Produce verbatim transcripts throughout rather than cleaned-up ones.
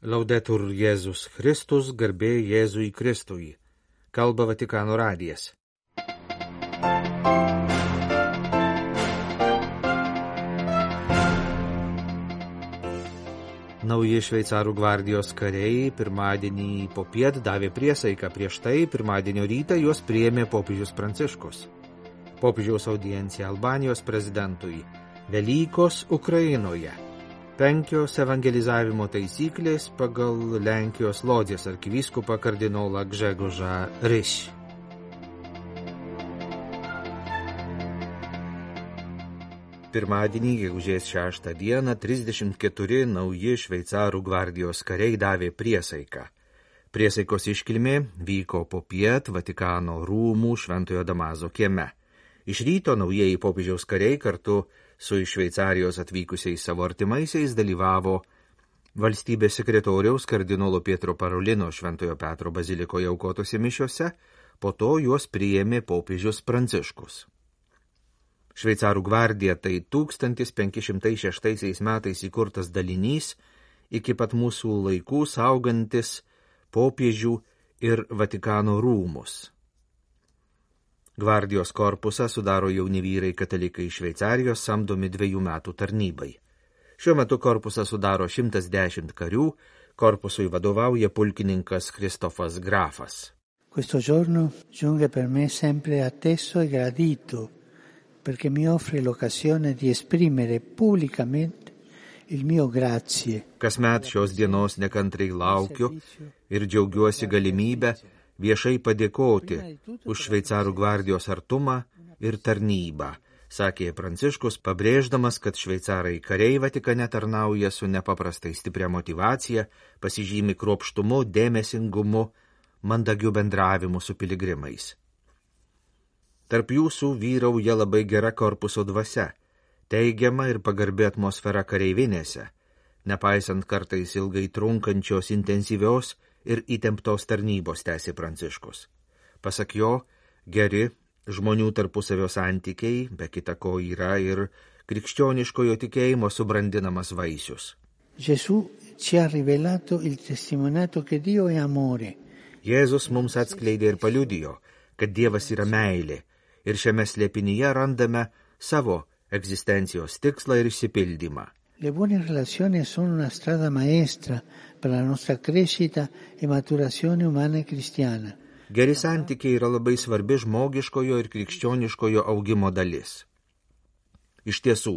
Laudetur Jėzus Kristus, garbė Jėzui Kristui. Kalba Vatikano radijas. Nauji šveicarų gvardijos kariai pirmadienį popiet davė priesaiką, prieš tai pirmadienio rytą juos priėmė popiežius Pranciškus. Popiežiaus audiencija Albanijos prezidentui. Velykos Ukrainoje. Penkios evangelizavimo taisyklės pagal Lenkijos Lodzės arkivyskupą kardinolą Gžegožą Ryš. Pirmadienį, gegužės šeštą dieną, trisdešimt keturi nauji šveicarų gvardijos kariai davė priesaiką. Priesaikos iškilmė vyko popiet Vatikano rūmų Šventojo Damaso kieme. Iš ryto naujieji popiežiaus kariai kartu su iš Šveicarijos atvykusiais savo artimaisiais dalyvavo valstybės sekretoriaus kardinolo Pietro Parolino Šventojo Petro bazilikoje aukotose mišiose, po to juos priėmė popiežius Pranciškus. Šveicarų gvardija tai tūkstantis penki šimtai šeštaisiais metais įkurtas dalinys, iki pat mūsų laikų saugantis popiežių ir Vatikano rūmus. Gvardijos korpusą sudaro jauni vyrai katalikai iš Šveicarijos samdomi dviejų metų tarnybai. Šiuo metu korpusą sudaro šimtas dešimt karių, korpusui vadovauja pulkininkas Kristofas Grafas. Questo giorno giunge per me sempre atteso e gradito, perché mi offre l'occasione di esprimere pubblicamente il mio grazie. Kasmet šios dienos nekantriai laukiu ir džiaugiuosi galimybę viešai padėkoti už šveicarų gvardijos artumą ir tarnybą, sakė Pranciškus, pabrėždamas, kad šveicarai kariai Vatikane tarnauja su nepaprastai stipria motyvacija, pasižymi kruopštumu, dėmesingumu, mandagiu bendravimu su piligrimais. Tarp jūsų vyrauja labai gera korpuso dvasia, teigiama ir pagarbi atmosfera kareivinėse, nepaisant kartais ilgai trunkančios intensyvios ir įtemptos tarnybos, tęsė Pranciškus. Pasak jo, geri žmonių tarpusavio santykiai, be kita ko, yra ir krikščioniškojo tikėjimo subrandinamas vaisius. Gesù ci ha rivelato il testimoniato che Dio è amore. Jėzus mums atskleidė ir paliudijo, kad Dievas yra meilė, ir šiame slėpinyje randame savo egzistencijos tikslą ir išsipildymą. Le buone relazioni sono una strada maestra per la nostra crescita e maturazione umana e cristiana. Geri santykiai yra labai svarbi žmogiškojo ir krikščioniškojo augimo dalis. Iš tiesų,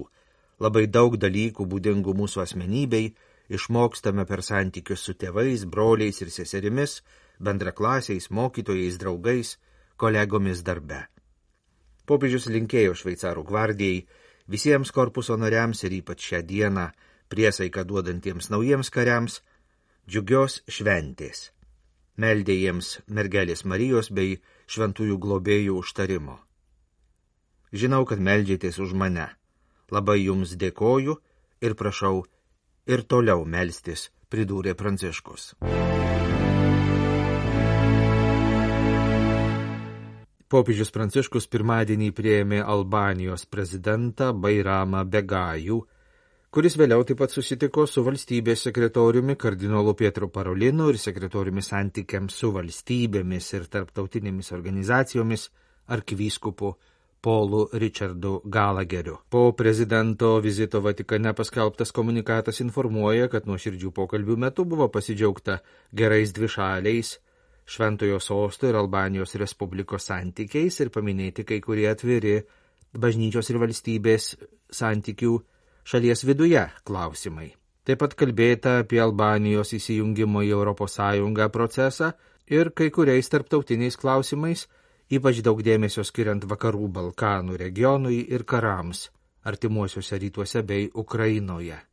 labai daug dalykų būdingų mūsų asmenybei išmokstame per santykius su tėvais, broliais ir seserimis, bendraklasiais, mokytojais, draugais, kolegomis darbe. Popiežius linkėjo šveicarų gvardijai, visiems korpuso nariams ir ypač šią dieną priesaiką duodantiems naujiems kariams džiugios šventės. Meldė jiems mergelės Marijos bei šventųjų globėjų užtarimo. Žinau, kad meldžiatės už mane. Labai jums dėkoju ir prašau ir toliau melstis, pridūrė Pranciškus. Popiežius Pranciškus pirmadienį priėmė Albanijos prezidentą Bairamą Begajų, kuris vėliau taip pat susitiko su valstybės sekretoriumi kardinolu Pietro Parolinu ir sekretoriumi santykiams su valstybėmis ir tarptautinėmis organizacijomis arkivyskupu Paulu Richardu Galageriu. Po prezidento vizito Vatikane paskelbtas komunikatas informuoja, kad nuoširdžių pokalbių metu buvo pasidžiaugta gerais dvišaliais Šventojo sosto ir Albanijos Respublikos santykiais ir paminėti kai kurie atviri bažnyčios ir valstybės santykių šalies viduje klausimai. Taip pat kalbėta apie Albanijos įsijungimo į Europos Sąjungą procesą ir kai kuriais tarptautiniais klausimais, ypač daug dėmesio skiriant Vakarų Balkanų regionui ir karams, artimuosiuose rytuose bei Ukrainoje.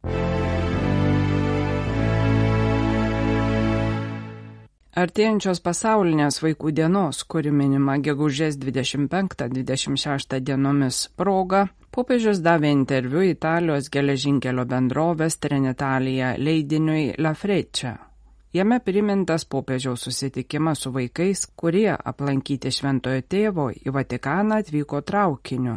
Artėjančios pasaulinės vaikų dienos, kuri minima gegužės dvidešimt penktą dvidešimt šeštą dienomis proga, popiežius davė interviu Italijos geležinkelio bendrovės Trenitalia leidiniui La Freccia. Jame primintas popiežiaus susitikimas su vaikais, kurie aplankyti šventojo tėvo į Vatikaną atvyko traukiniu.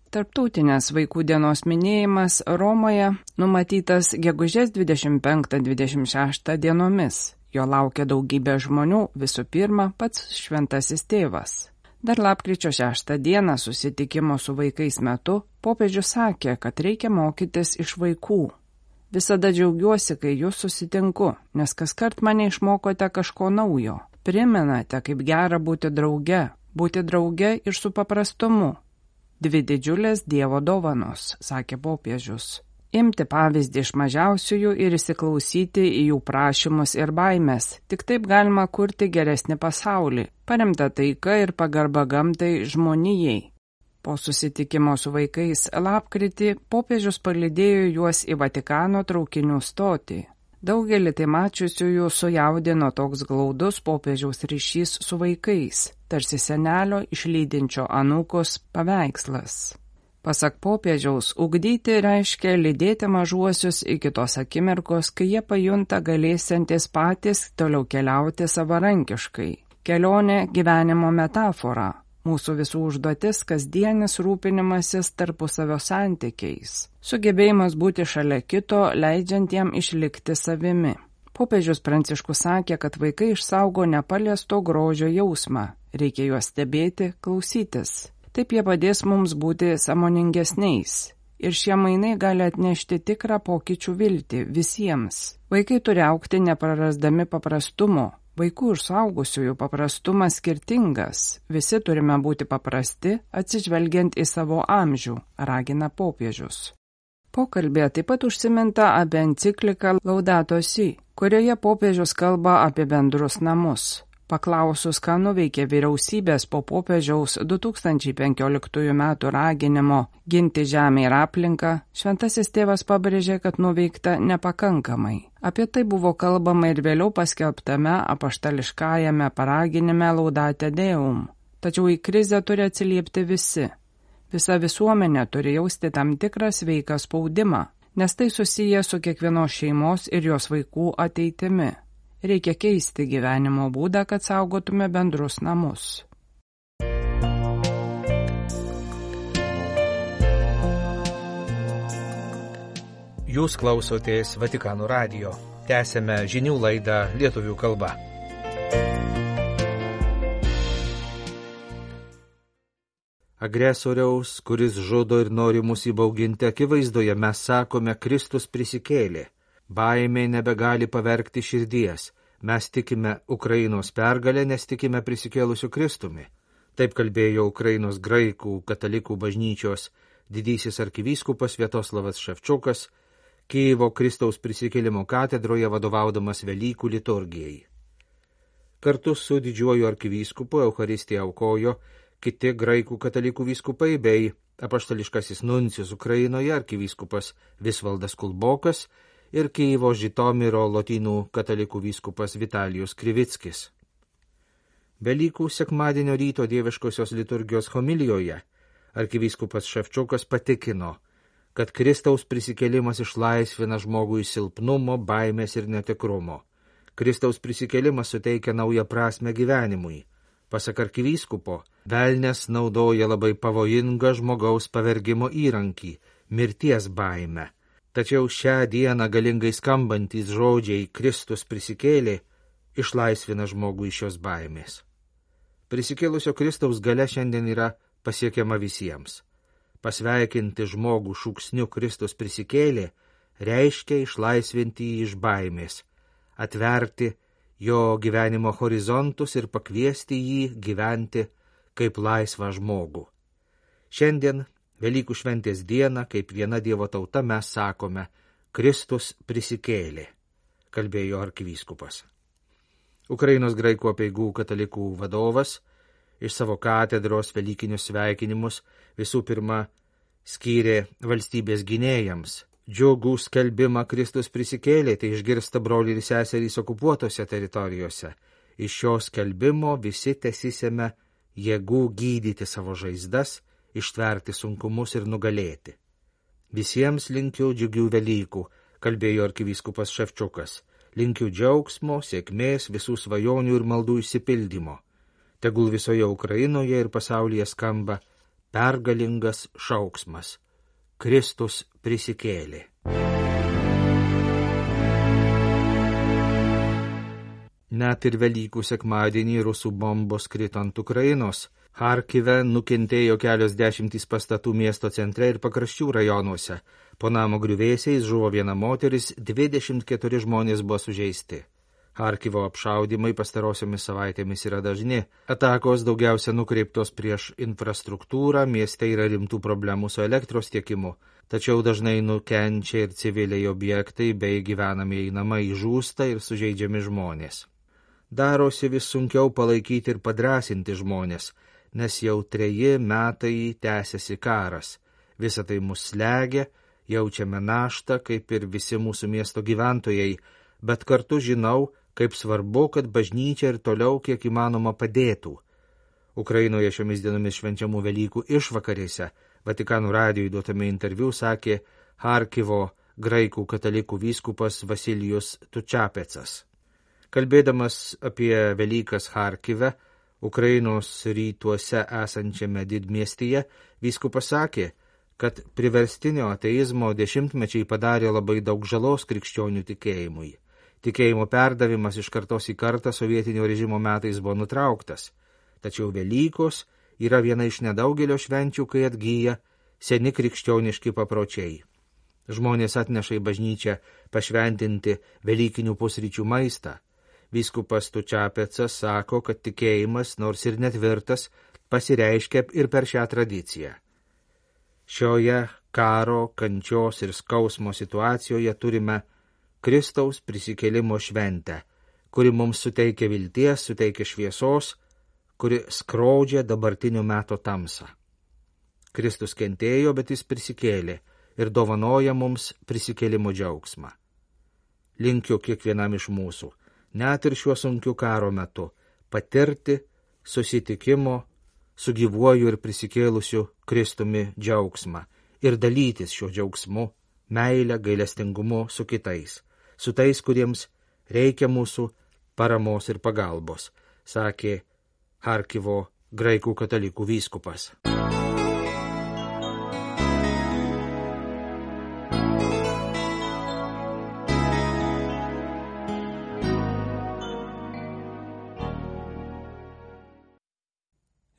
Tarptautinės vaikų dienos minėjimas Romoje numatytas gegužės dvidešimt penktą dvidešimt šeštą dienomis. Jo laukia daugybė žmonių, visų pirma pats šventasis tėvas. Dar lapkričio šeštą dieną susitikimo su vaikais metu popiežius sakė, kad reikia mokytis iš vaikų. Visada džiaugiuosi, kai jūs susitinku, nes kaskart mane išmokote kažko naujo. Primenate, kaip gera būti drauge, būti drauge ir su paprastumu. Dvi didžiulės Dievo dovanos, sakė popiežius. Imti pavyzdį iš mažiausiųjų ir įsiklausyti į jų prašymus ir baimės. Tik taip galima kurti geresnį pasaulį, paremtą taika ir pagarba gamtai žmonijai. Po susitikimo su vaikais lapkritį popiežius palydėjo juos į Vatikano traukinių stotį. Daugelį tai mačiusiųjų sujaudino toks glaudus popiežiaus ryšys su vaikais, tarsi senelio išlydinčio anūkus paveikslas. Pasak popiežiaus, ugdyti reiškia lydėti mažuosius iki tos akimirkos, kai jie pajunta galėsiantis patys toliau keliauti savarankiškai. Kelionė gyvenimo metafora. Mūsų visų užduotis kasdienis rūpinimasis tarpusavio santykiais. Sugebėjimas būti šalia kito, leidžiant jam išlikti savimi. Popiežius Pranciškus sakė, kad vaikai išsaugo nepaliesto grožio jausmą. Reikia juos stebėti, klausytis. Taip jie padės mums būti sąmoningesniais. Ir šie mainai gali atnešti tikrą pokyčių viltį visiems. Vaikai turi augti neprarasdami paprastumo. Vaikų ir suaugusiųjų paprastumas skirtingas. Visi turime būti paprasti, atsižvelgiant į savo amžių, ragina popiežius. Pokalbėje taip pat užsiminta apie encikliką Laudato Si, kurioje popiežius kalba apie bendrus namus. Paklausus, ką nuveikė vyriausybės po popiežiaus du tūkstančiai penkioliktųjų metų raginimo ginti žemę ir aplinką, šventasis tėvas pabrėžė, kad nuveikta nepakankamai. Apie tai buvo kalbama ir vėliau paskelbtame apaštališkajame paraginime Laudate Deum. Tačiau į krizę turi atsiliepti visi. Visa visuomenė turi jausti tam tikrą sveiką spaudimą, nes tai susiję su kiekvienos šeimos ir jos vaikų ateitimi. Reikia keisti gyvenimo būdą, kad saugotume bendrus namus. Jūs klausotės Vatikano radijo. Tęsėme žinių laidą lietuvių kalba. Agresoriaus, kuris žudo ir nori mus įbauginti akivaizdoje, mes sakome, Kristus prisikėlė. Baimė nebegali pavergti širdies. Mes tikime Ukrainos pergalę, nes tikime prisikėlusiu Kristumi. Taip kalbėjo Ukrainos graikų katalikų bažnyčios didysis arkivyskupas Sviatoslavas Ševčiukas, Kijevo Kristaus prisikėlimo katedroje vadovaudamas Velykų liturgijai. Kartu su didžiuoju arkivyskupu Eucharistiją aukojo kiti graikų katalikų vyskupai bei apaštališkasis nuncijus Ukrainoje arkivyskupas Visvaldas Kulbokas ir Kijevo Žitomiro lotynų katalikų vyskupas Vitalijus Krivickis. Velykų sekmadienio ryto dieviškosios liturgijos homilijoje arkivyskupas Ševčiukas patikino, kad Kristaus prisikėlimas išlaisvina žmogų iš silpnumo, baimės ir netikrumo. Kristaus prisikėlimas suteikia naują prasmę gyvenimui. Pasak arkivyskupo, velnias naudoja labai pavojingą žmogaus pavergimo įrankį – mirties baimę. Tačiau šią dieną galingai skambantys žodžiai Kristus prisikėlė išlaisvina žmogų iš šios baimės. Prisikėlusio Kristaus galia šiandien yra pasiekiama visiems. Pasveikinti žmogų šūksniu Kristus prisikėlė reiškia išlaisvinti jį iš baimės, atverti jo gyvenimo horizontus ir pakviesti jį gyventi kaip laisvą žmogų. Šiandien Velykų šventės dieną, kaip viena Dievo tauta, mes sakome, Kristus prisikėlė, kalbėjo arkivyskupas. Ukrainos graikų apeigų katalikų vadovas iš savo katedros velykinius sveikinimus visų pirma skyrė valstybės gynėjams. Džiugų skelbimą Kristus prisikėlė, tai išgirsta broliai ir seserys okupuotose teritorijose. Iš šio skelbimo visi tesisėme jėgų gydyti savo žaizdas, ištverti sunkumus ir nugalėti. Visiems linkiu džiugių Velykų, kalbėjo arkivyskupas Ševčiukas. Linkiu džiaugsmo, sėkmės, visų svajonių ir maldų išsipildymo. Tegul visoje Ukrainoje ir pasaulyje skamba pergalingas šauksmas. Kristus prisikėlė. Net ir Velykų sekmadienį rusų bombos krito ant Ukrainos. Charkive nukentėjo kelios dešimtys pastatų miesto centre ir pakraščių rajonuose. Po namo griuvėsiais žuvo viena moteris, dvidešimt keturi žmonės buvo sužeisti. Charkivo apšaudimai pastarosiomis savaitėmis yra dažni. Atakos daugiausia nukreiptos prieš infrastruktūrą, mieste yra rimtų problemų su elektros tiekimu, tačiau dažnai nukenčia ir civiliai objektai bei gyvenamieji namai, žūsta ir sužeidžiami žmonės. Darosi vis sunkiau palaikyti ir padrasinti žmonės, nes jau treji metai tęsiasi karas. Visa tai mus slegia, jaučiame naštą, kaip ir visi mūsų miesto gyventojai, bet kartu žinau, kaip svarbu, kad bažnyčia ir toliau kiek įmanoma padėtų. Ukrainoje šiomis dienomis švenčiamų Velykų išvakarėse Vatikano radijui duotame interviu sakė Charkivo graikų katalikų vyskupas Vasilijus Tučapecas. Kalbėdamas apie Velykas Charkive, Ukrainos rytuose esančiame didmiestyje, vyskupas sakė, kad priverstinio ateizmo dešimtmečiai padarė labai daug žalos krikščionių tikėjimui. Tikėjimo perdavimas iš kartos į kartą sovietinio režimo metais buvo nutrauktas. Tačiau Velykos yra viena iš nedaugelio švenčių, kai atgyja seni krikščioniški papročiai. Žmonės atneša į bažnyčią pašventinti velykinių pusryčių maistą. Vyskupas Tučapecas sako, kad tikėjimas, nors ir netvirtas, pasireiškia ir per šią tradiciją. Šioje karo, kančios ir skausmo situacijoje turime Kristaus prisikėlimo šventę, kuri mums suteikia vilties, suteikia šviesos, kuri skrodžia dabartinio meto tamsą. Kristus kentėjo, bet jis prisikėlė ir dovanoja mums prisikėlimo džiaugsmą. Linkiu kiekvienam iš mūsų, net ir šiuo sunkiu karo metu, patirti susitikimo su gyvuoju ir prisikėlusiu Kristumi džiaugsmą ir dalytis šiuo džiaugsmu, meile, gailestingumu su kitais, su tais, kuriems reikia mūsų paramos ir pagalbos, sakė Charkivo graikų katalikų vyskupas.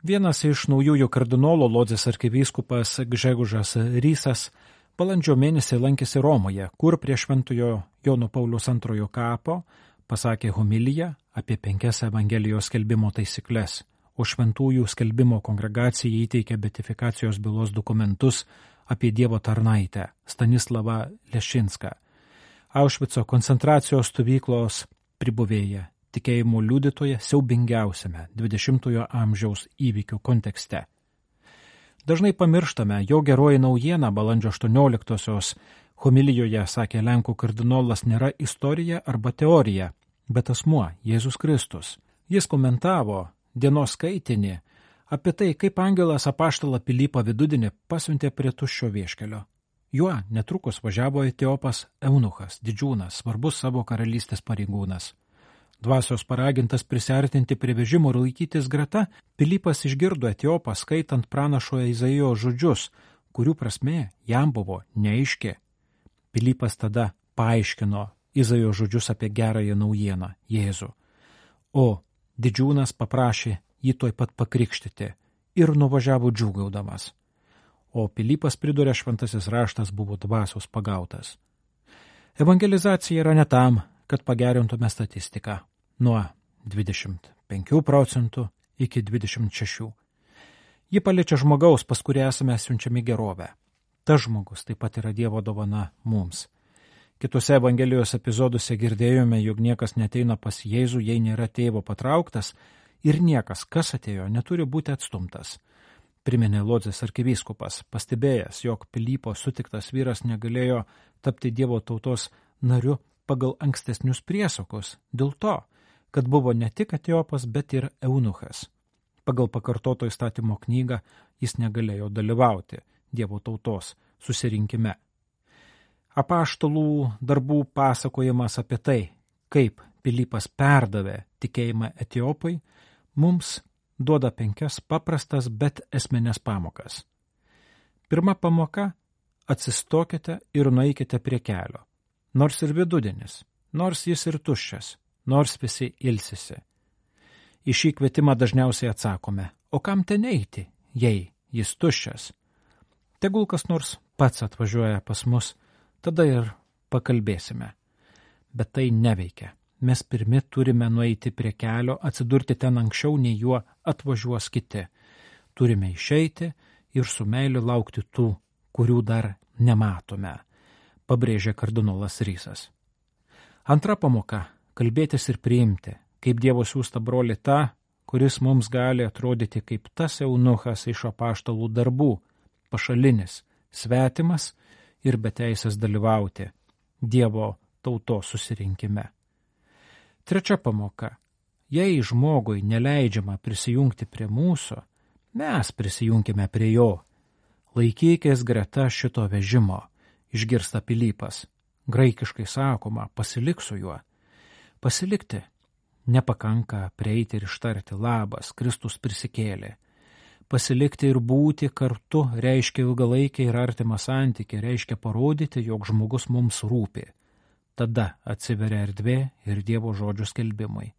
Vienas iš naujųjų kardinolų Lodzės arkivyskupas Gžegožas Rysas balandžio mėnesį lankėsi Romoje, kur prie šventojo Jono Pauliaus antrojo kapo pasakė homiliją apie penkias Evangelijos skelbimo taisyklės, o šventųjų skelbimo kongregacijai įteikė beatifikacijos bylos dokumentus apie Dievo tarnaitę Stanislavą Lešinską, Aušvico koncentracijos stovyklos pribuvėją, tikėjimo liudytoja siaubingiausiame dvidešimtojo amžiaus įvykių kontekste. Dažnai pamirštame, jo geroji naujiena balandžio aštuonioliktosios homilijoje, sakė Lenkų kardinolas, nėra istorija arba teorija, bet asmuo Jėzus Kristus. Jis komentavo dienos skaitinį apie tai, kaip angelas apaštalą Pilypą Vidudienį pasiuntė prie tuščio vieškelio. Juo netrukus važiavo Etiopas eunuchas, didžiūnas, svarbus savo karalystės pareigūnas. Dvasios paragintas prisiartinti prie vežimo ir laikytis greta, Pilypas išgirdo Etiopą skaitant pranašo Izaijo žodžius, kurių prasmė jam buvo neaiški. Pilypas tada paaiškino Izaijo žodžius apie gerąją naujieną Jėzų. O didžiūnas paprašė jį tuoj pat pakrikštyti ir nuvažiavo džiūgaudamas. O Pilypas pridūrė, šventasis raštas buvo dvasios pagautas. Evangelizacija yra ne tam, kad pagerintume statistiką nuo dvidešimt penkių procentų iki dvidešimt šešių. Ji paliečia žmogaus, pas kurį esame siunčiami gerovę. Tas žmogus taip pat yra Dievo dovana mums. Kitose Evangelijos epizoduose girdėjome, jog niekas neteina pas Jėzų, jei nėra tėvo patrauktas, ir niekas, kas atėjo, neturi būti atstumtas. Priminė Lodzės arkivyskupas, pastebėjęs, jog Pilypo sutiktas vyras negalėjo tapti Dievo tautos nariu pagal ankstesnius priesakus, dėl to, kad buvo ne tik Etiopas, bet ir eunuchas. Pagal pakartoto įstatymo knygą jis negalėjo dalyvauti Dievo tautos susirinkime. Apaštalų darbų pasakojimas apie tai, kaip Pilypas perdavė tikėjimą Etiopui, mums duoda penkias paprastas, bet esminės pamokas. Pirma pamoka – atsistokite ir nueikite prie kelio. Nors ir vidudienis, nors jis ir tuščias, nors visi ilsisi. Į šį kvietimą dažniausiai atsakome, o kam ten eiti, jei jis tuščias? Tegul kas nors pats atvažiuoja pas mus, tada ir pakalbėsime. Bet tai neveikia. Mes pirmi turime nueiti prie kelio, atsidurti ten anksčiau, nei juo atvažiuos kiti. Turime išeiti ir su meiliu laukti tų, kurių dar nematome, pabrėžė kardinolas Rysas. Antra pamoka – kalbėtis ir priimti, kaip Dievo siųsta brolį tą, kuris mums gali atrodyti kaip tas eunuchas iš apaštalų darbų, pašalinis, svetimas ir beteisės dalyvauti Dievo tautos susirinkime. Trečia pamoka. Jei žmogui neleidžiama prisijungti prie mūsų, mes prisijunkime prie jo. Laikykės greta šito vežimo, išgirsta Pilypas. Graikiškai sakoma, pasilik su juo. Pasilikti. Nepakanka prieiti ir ištarti labas, Kristus prisikėlė. Pasilikti ir būti kartu reiškia ilgalaikę ir artimą santykį, reiškia parodyti, jog žmogus mums rūpi. Tada atsiveria erdvė ir Dievo žodžių skelbimui.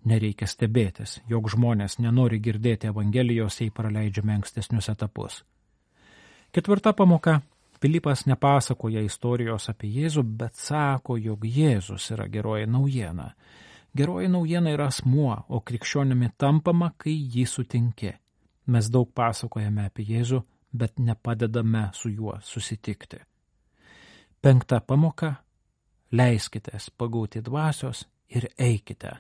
Nereikia stebėtis, jog žmonės nenori girdėti Evangelijos, jei praleidžiame ankstesnius etapus. Ketvirta pamoka. Pilypas nepasakoja istorijos apie Jėzų, bet sako, jog Jėzus yra geroji naujiena. Geroji naujiena yra asmuo, o krikščionimi tampama, kai jį sutinki. Mes daug pasakojame apie Jėzų, bet nepadedame su juo susitikti. Penkta pamoka. Leiskitės pagauti dvasios ir eikite,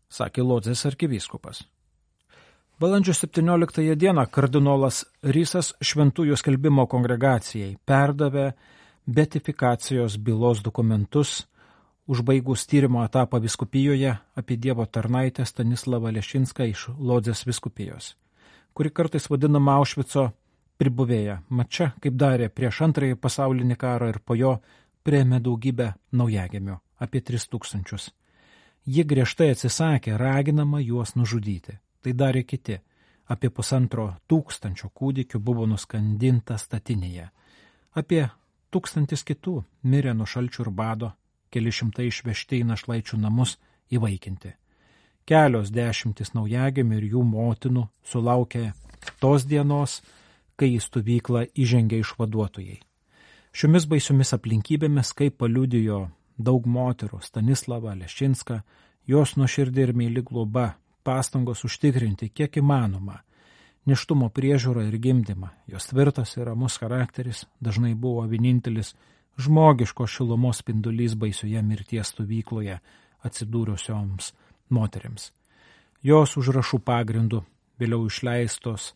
sakė Lodzės arkivyskupas. Balandžio septynioliktąją dieną kardinolas Rysas šventųjų skelbimo kongregacijai perdavė beatifikacijos bylos dokumentus, užbaigus tyrimo etapą vyskupijoje apie Dievo tarnaitę Stanislavą Lešinską iš Lodzės vyskupijos, kuri kartais vadinama Aušvico pribuvėja. Mat čia, kaip darė prieš antrąjį pasaulinį karą ir po jo, priėmė daugybę naujagimių, apie tris tūkstančius. Ji griežtai atsisakė, raginama juos nužudyti. Tai darė kiti. Apie pusantro tūkstančio kūdikių buvo nuskandinta statinėje. Apie tūkstantis kitų mirė nuo šalčių ir bado, keli šimtai išvežti į našlaičių namus įvaikinti. Kelios dešimtis naujagimių ir jų motinų sulaukė tos dienos, kai į stovyklą įžengė išvaduotojai. Šiomis baisiomis aplinkybėmis, kaip paliudijo daug moterų Stanislavą Lešinską, jos nuoširdį ir meili globa, pastangos užtikrinti kiek įmanoma, nėštumo priežiūrą ir gimdymą, jos tvirtas ir ramus charakteris dažnai buvo vienintelis žmogiško šilumos spindulys baisioje mirties stovykloje atsidūrusioms moterims. Jos užrašų pagrindų vėliau išleistos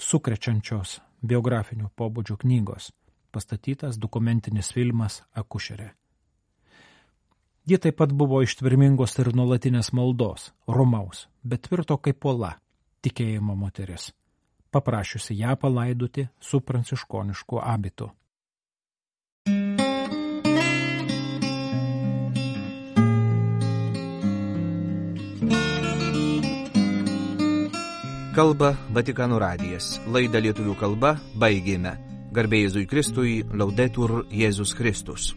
sukrečiančios biografinio pobūdžio knygos, pastatytas dokumentinis filmas Akušerė. Ji taip pat buvo ištvermingos ir nuolatinės maldos, romaus, bet tvirto kaip uola, tikėjimo moteris, paprašiusi ją palaidoti su pranciškonišku abitu. Kalba Vatikano radijas. Laidą lietuvių kalba baigėme. Garbė Jėzui Kristui, Laudetur Jėzus Kristus.